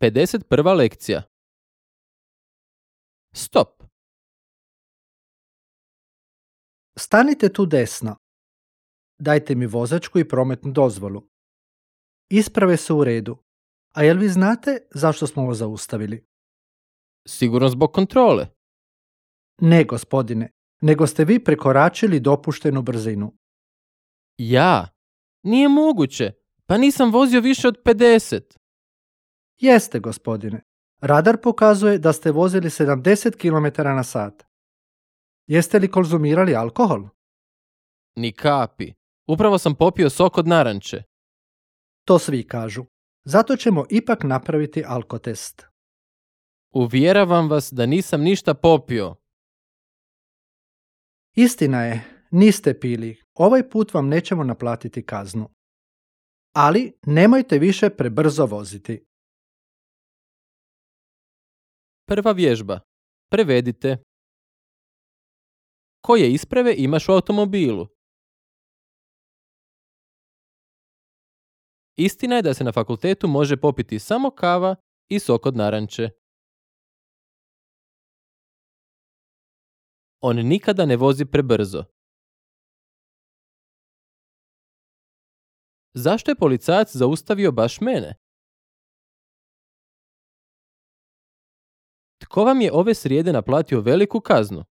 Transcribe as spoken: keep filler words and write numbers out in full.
pedeset prva lekcija. Stop. Stanite tu desno. Dajte mi vozačku i prometnu dozvolu. Isprave su u redu. A jel vi znate zašto smo vas zaustavili? Sigurno zbog kontrole. Ne, gospodine, nego ste vi prekoračili dopuštenu brzinu. Ja? Nije moguće. Pa nisam vozio više od pedeset. Jeste, gospodine. Radar pokazuje da ste vozili sedamdeset kilometara na sat. Jeste li konzumirali alkohol? Ni kapi. Upravo sam popio sok od naranče. To svi kažu. Zato ćemo ipak napraviti alkotest. Uvjeravam vas da nisam ništa popio. Istina je, niste pili. Ovaj put vam nećemo naplatiti kaznu. Ali nemojte više prebrzo voziti. Prva vježba. Prevedite. Koje isprave imaš u automobilu? Istina je da se na fakultetu može popiti samo kava i sok od naranče. On nikada ne vozi prebrzo. Zašto je policajac zaustavio baš mene? Tko vam je ove srijede naplatio veliku kaznu?